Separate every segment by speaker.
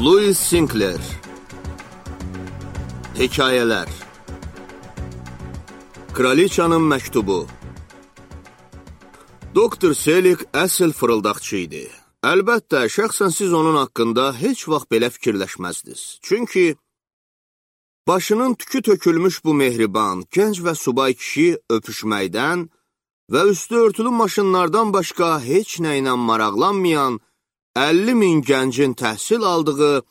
Speaker 1: Louis Sinclair. Hekayələr. Kraliçanın məktubu. Doktor Selig əsl fırıldaqçı idi. Əlbəttə, şəxsən siz onun haqqında heç vaxt belə fikirləşməzdiniz. Çünki başının tükü tökülmüş bu mehriban, gənc və subay kişi öpüşməkdən və üstü örtülü maşınlardan başqa heç nə ilə maraqlanmayan 50.000 gəncin təhsil aldığı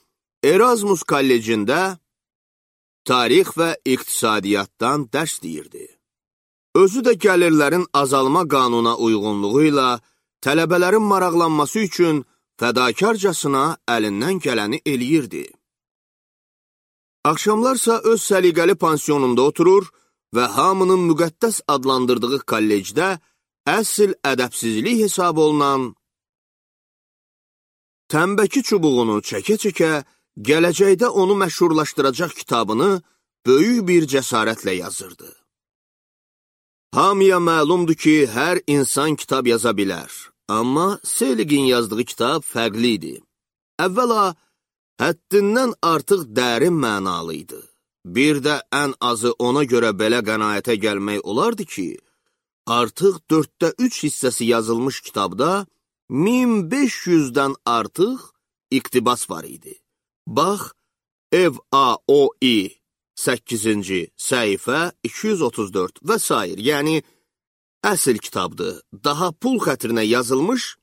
Speaker 1: Erasmus kollecində tarix və iqtisadiyyatdan dərs deyirdi. Özü də gəlirlərin azalma qanuna uyğunluğu ilə tələbələrin maraqlanması üçün fədakarcasına əlindən gələni eləyirdi. Axşamlarsa öz səliqəli pansiyonunda oturur və hamının müqəddəs adlandırdığı kollecdə əsl ədəbsizlik hesab olunan tənbəki çubuğunu çəkə-çəkə gələcəkdə onu məşhurlaşdıracaq kitabını böyük bir cəsarətlə yazırdı. Hamıya məlumdur ki, hər insan kitab yaza bilər. Amma Seligin yazdığı kitab fərqli idi. Əvvəla, həddindən artıq dərin mənalı idi. Bir də ən azı ona görə belə qənaətə gəlmək olardı ki, artıq 3/4 hissəsi yazılmış kitabda 1500-dən artıq iqtibas var idi. Bax, FAOI 8-ci səhifə 234 və s. Yəni, əsl kitabdır, daha pul xətrinə yazılmış,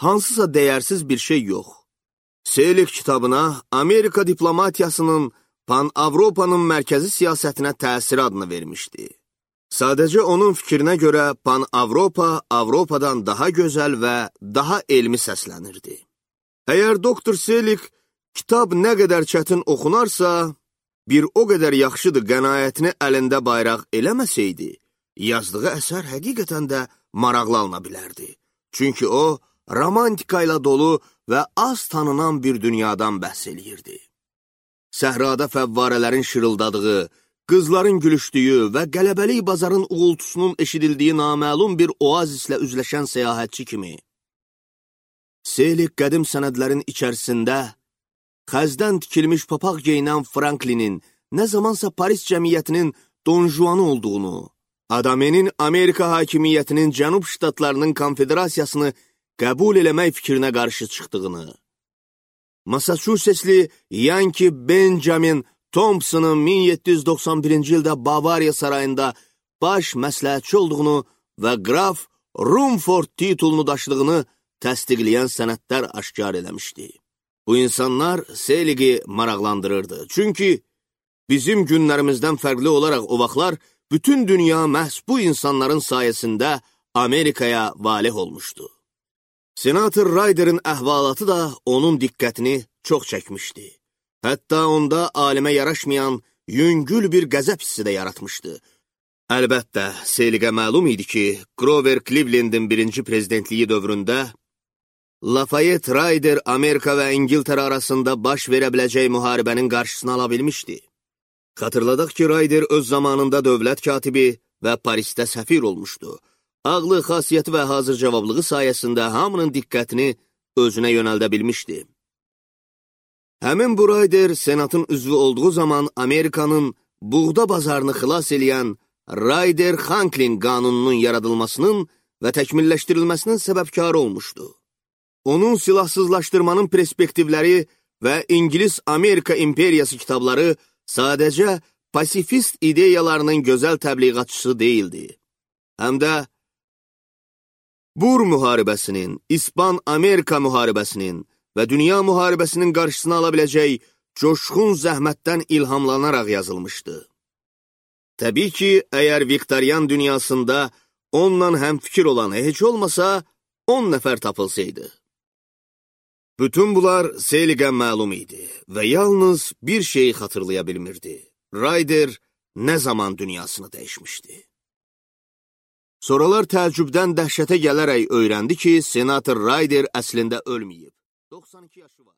Speaker 1: hansısa dəyərsiz bir şey yox. Selig kitabına Amerika diplomatiyasının Pan-Avropanın mərkəzi siyasətinə təsir adını vermişdi. Sadəcə onun fikrinə görə Pan-Avropa Avropadan daha gözəl və daha elmi səslənirdi. Əgər Doktor Selig kitab nə qədər çətin oxunarsa, bir o qədər yaxşıdır qənaətini əlində bayraq eləməsəydi, yazdığı əsər həqiqətən də maraqlı alına bilərdi. Çünki o, romantika ilə dolu və az tanınan bir dünyadan bəhs eləyirdi. Səhrada fəvvarələrin şırıldadığı, qızların gülüşdüyü və qələbəlik bazarın uğultusunun eşidildiyi naməlum bir oazislə üzləşən səyahətçi kimi. Selig qədim sənədlərin içərisində xəzdən tikilmiş papaq geyinən Franklinin nə zamansa Paris cəmiyyətinin Don Juan'ı olduğunu, Adamenin Amerika hakimiyyətinin Cənub ştatlarının konfederasiyasını qəbul eləmək fikrinə qarşı çıxdığını, Massachusettsli Yankee Benjamin Thompson'ın 1791-ci ildə Bavariya sarayında baş məsləhətçi olduğunu və Qraf Rumford titulunu daşıdığını təsdiqləyən sənədlər aşkar eləmişdi. Bu insanlar Seligi maraqlandırırdı. Çünki bizim günlərimizdən fərqli olaraq o vaxtlar bütün dünya məhz bu insanların sayəsində Amerikaya valih olmuşdu. Senator Ryder'ın əhvalatı da onun diqqətini çox çəkmişdi. Hətta onda alimə yaraşmayan yüngül bir qəzəb hissi də yaratmışdı. Əlbəttə, Seligə məlum idi ki, Grover Cleveland'in birinci prezidentliyi dövründə Lafayette Ryder Amerika və İngiltərə arasında baş verə biləcək müharibənin qarşısını ala bilmişdi. Xatırladaq ki, Ryder öz zamanında dövlət katibi və Parisdə səfir olmuşdu. Ağlı, xasiyyəti və hazır cavablığı sayəsində hamının diqqətini özünə yönəldə bilmişdi. Həmin bu Ryder senatın üzvü olduğu zaman Amerikanın buğda bazarını xilas eləyən Ryder-Hanklin qanununun yaradılmasının və təkmilləşdirilməsinin səbəbkarı olmuşdu. Onun silahsızlaşdırmanın perspektivləri və İngilis-Amerika imperiyası kitabları sadəcə pasifist ideyalarının gözəl təbliğatçısı deyildi. Həm də Bur müharibəsinin, İspan-Amerika müharibəsinin və dünya müharibəsinin qarşısını ala biləcək coşqun zəhmətdən ilhamlanaraq yazılmışdı. Təbii ki, əgər Viktorian dünyasında onunla həmfikir olan heç olmasa 10 nəfər tapılsaydı. Bütün bunlar Seligə məlum idi və yalnız bir şeyi xatırlaya bilmirdi. Ryder nə zaman dünyasını dəyişmişdi. Sonralar təəccübdən dəhşətə gələrək öyrəndi ki, Senator Ryder əslində ölməyib. 92 yaşı var.